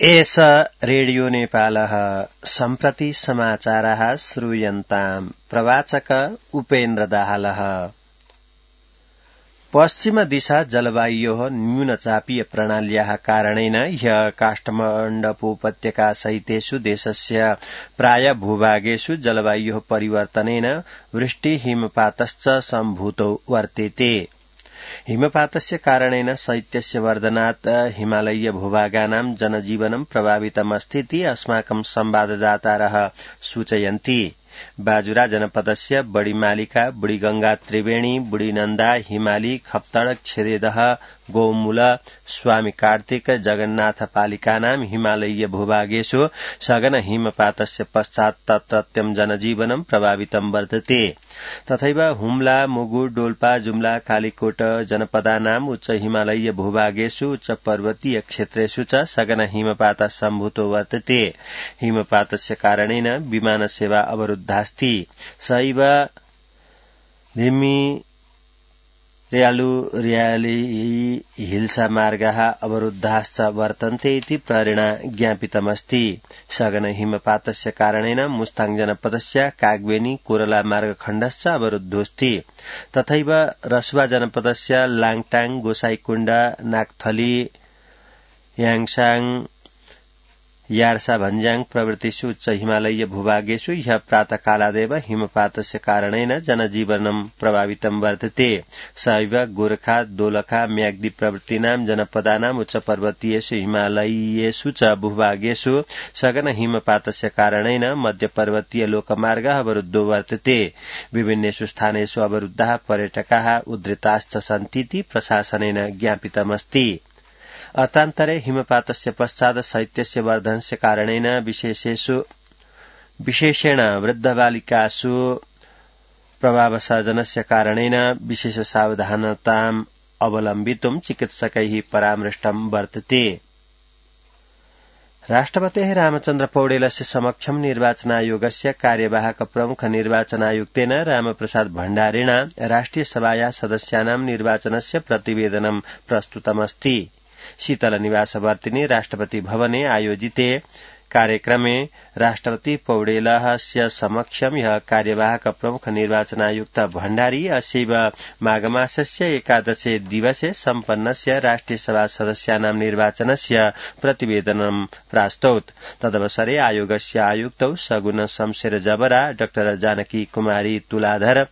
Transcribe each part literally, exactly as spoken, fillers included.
एष रेडियो नेपालः सम्प्रति समाचारः श्रूयन्ताम् प्रवाचक उपेन्द्र दाहालः। पश्चिम दिशा जलवायोः न्यूनचापीय प्रणाल्याः कारणेन ह्यः काष्ठमण्डपोपत्यका सहितेषु देशस्य प्राय भूभागेषु जलवायोः परिवर्तनेन वृष्टि हिमपातश्च सम्भूतो वर्तेते। हिमपातस्य कारणेन शैत्यस्य वर्धनात् हिमालयीय भूभागानां जनजीवनं प्रभावितमस्तीति अस्माकं संवाददातारः सूचयन्ति। बाजुरा जनपदस्य बड़ीमालिका, बुड़ीगंगा त्रिवेणी, बुड़ीनन्दा, हिमाली, खप्तड़, क्षीरेदह, गौमूल, स्वामी कार्तिक, जगन्नाथ पालिकानां हिमालयीय भूभागेषु सघन हिमपातस्य पश्चात् तत्रत्यं जनजीवनं प्रभावितं वर्तते। तथैव हुम्ला, मुगु, डोल्पा, जुम्ला, कालीकोट जनपदानां उच्च हिमालयीय भूभागेषु उच्च पर्वतीय क्षेत्रेषु च सघन हिमपातः सम्भूतो वर्तते। हिमपातस्य कारणेन विमान सेवा अवरुद्धास्ति। सैव धिम्मी रेयालु रेयाली हिल्सा मार्गाः अवरुद्धाश्च वर्तन्ते इति प्रहरेण ज्ञापितमस्ति। सघन हिमपातस्य कारणेन मुस्ताङ जनपदस्य कागबेनी कोरला मार्गखण्डश्च अवरुद्धोऽस्ति। तथैव रसुवा जनपदस्य लाङटाङ, गोसाईकुण्ड, नागथली, याङसाङ, यार्सा भन्ज्याङ प्रभृतिषु उच्च हिमालयीय भूभागेषु ह्यः प्रातःकालादेव हिमपातस्य कारणेन जनजीवनं प्रभावितं वर्तते। सैव गोरखा, दोलखा, म्याग्दी प्रभृतीनां जनपदानां उच्च पर्वतीयेषु हिमालयीयेषु च भूभागेषु सघन हिमपातस्य कारणेन मध्यपर्वतीय लोकमार्गः अवरुद्धो वर्तते। विभिन्नेषु स्थानेषु अवरुद्धाः पर्यटकाः उद्धृताश्च सन्तीति प्रशासनेन ज्ञापितमस्ति। अत्रान्तरे हिमपातस्य पश्चात् शैत्यस्य वर्धनस्य कारणेन विशेषेषु विशेषेण वृद्धबालिकासु प्रभावसर्जनस्य कारणेन विशेष सावधानताम् अवलम्बितुं चिकित्सकैः परामृष्टं वर्तते। राष्ट्रपतेः रामचन्द्र पौडेलस्य समक्षं निर्वाचनायोगस्य कार्यवाहक प्रमुख निर्वाचनायुक्तेन रामप्रसाद भण्डारिणा राष्ट्रिय सभाया सदस्यानां निर्वाचनस्य प्रतिवेदनं प्रस्तुतमस्ति। शीतल निवासवर्तिनि राष्ट्रपति भवने आयोजिते कार्यक्रमे राष्ट्रपति पौडेलस्य समक्षं यः कार्यवाहक प्रमुख निर्वाचनायुक्त भण्डारी अस्यैव माघमासस्य एकादशे दिवसे सम्पन्नस्य राष्ट्रिय सभा सदस्यानां निर्वाचनस्य प्रतिवेदनं प्रास्तौत्। तदवसरे आयोगस्य आयुक्तौ सगुन शमशेर जबरा, डाक्टर जानकी कुमारी तुलाधर,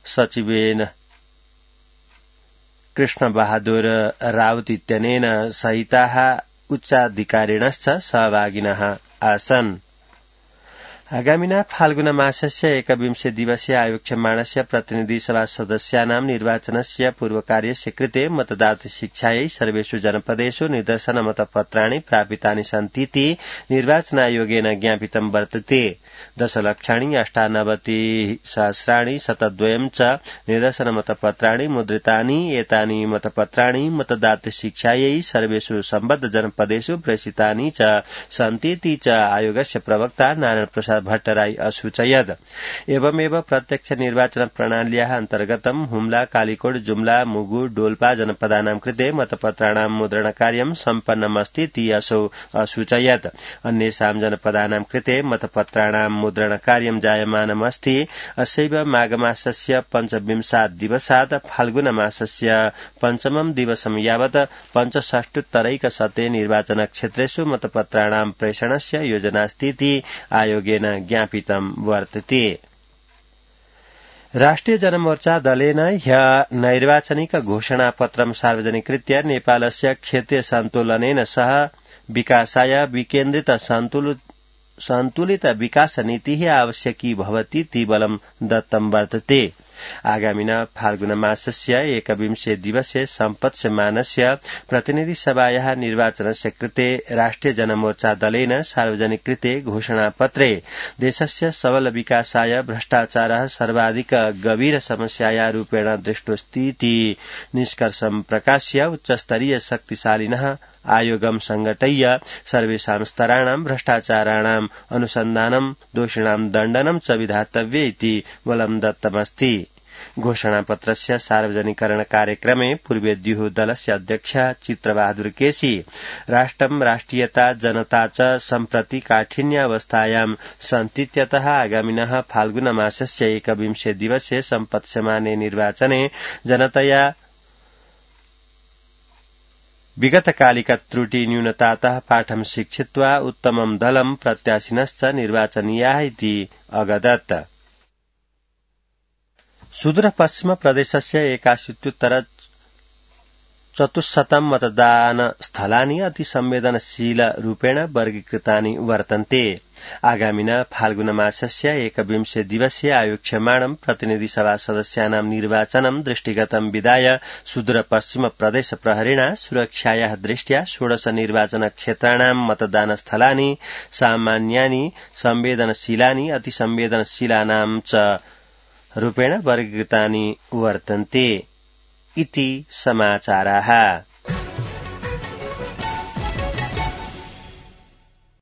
सचिवेन कृष्ण बहादुर राउत इत्यनेन सहिताः उच्चाधिकारिणश्च सहभागिनः आसन्। आगामिना फाल्गुन मासस्य एकविंशे दिवसे आयोक्ष्यमाणस्य प्रतिनिधि सभा सदस्यानां निर्वाचनस्य पूर्वकार्यस्य कृते मतदाता शिक्षायै सर्वेषु जनपदेषु निदर्शन मतपत्राणि प्रापितानि सन्तीति निर्वाचनायोगेन ज्ञापितं वर्तते। दशलक्षाणि अष्टानवति सहस्राणि शतद्वयं च निदर्शन मतपत्राणि मुद्रितानि। एतानि मतपत्राणि मतदाता शिक्षायै सर्वेषु सम्बद्ध जनपदेषु प्रेषितानि च सन्तीति च आयोगस्य प्रवक्ता नारायण प्रसाद भट्टराई असूचयत्। एवमेव प्रत्यक्ष निर्वाचन प्रणाल्याः अन्तर्गतं हुम्ला, कालीकोट, जुम्ला, मुगु, डोल्पा जनपदानां कृते मतपत्राणां मुद्रणकार्यं सम्पन्नमस्तीति असौ असूचयत्। अन्येषां जनपदानां कृते मतपत्राणां मुद्रणकार्यं जायमानमस्ति। अस्यैव माघमासस्य पञ्चविंशात् दिवसात् फाल्गुन मासस्य पञ्चमं दिवसं यावत् पञ्चषष्टुत्तरैकशते निर्वाचनक्षेत्रेषु मतपत्राणां प्रेषणस्य योजनास्तीति आयोगेन ज्ञापितं वर्तते। राष्ट्रिय जनमोर्चा दलेन ह्यः नैर्वाचनिक घोषणापत्रं सार्वजनिकृत्य नेपालस्य क्षेत्रीय सन्तुलनेन सह विकासाय विकेन्द्रित सन्तुलित विकास नीतिः आवश्यकी भवतीति बलं दत्तं वर्तते। आगामिना फाल्गुन मासस्य एकविंशे दिवसे सम्पत्स्यमानस्य प्रतिनिधि सभायाः निर्वाचनस्य कृते राष्ट्रिय जनमोर्चा दलेन सार्वजनिकृते घोषणापत्रे देशस्य सबल विकासाय भ्रष्टाचारः सर्वाधिक गभीर समस्याया रूपेण दृष्टोऽस्तीति निष्कर्षं प्रकाश्य उच्चस्तरीय शक्तिशालिनः आयोगं संघटय्य सर्वेषां स्तराणां भ्रष्टाचाराणाम् अनुसन्धानं दोषिणां दण्डनं च विधातव्य इति बलं दत्तमस्ति। घोषणापत्रस्य सार्वजनिकरण कार्यक्रमे पूर्वेद्युः दलस्य अध्यक्ष चित्रबहादुर केसी राष्ट्रं राष्ट्रियता जनता च सम्प्रति काठिन्यावस्थायां सन्तीत्यतः आगामिनः फाल्गुनमासस्य एकविंशे दिवसे सम्पत्स्यमाने निर्वाचने जनतया विगतकालिक त्रुटि न्यूनतातः पाठं शिक्षित्वा उत्तमं दलं प्रत्याशिनश्च निर्वाचनीयाः इति अगदत्। सुदूरपश्चिम प्रदेशस्य एकाशीत्युत्तर चतुश्शतं मतदानस्थलानि अतिसंवेदनशीलरूपेण वर्गीकृतानि वर्तन्ते। आगामिन फाल्गुनमासस्य एकविंशे दिवसे आयोक्ष्यमाणं प्रतिनिधिसभा सदस्यानां निर्वाचनं दृष्टिगतं विधाय सुदूरपश्चिम प्रदेश प्रहरिणा सुरक्षायाः दृष्ट्या षोडश निर्वाचन क्षेत्राणां मतदानस्थलानि सामान्यानि संवेदनशीलानि अतिसंवेदनशीलानां च रूपेण वर्गीकृतानि वर्तन्ते इति समाचाराः।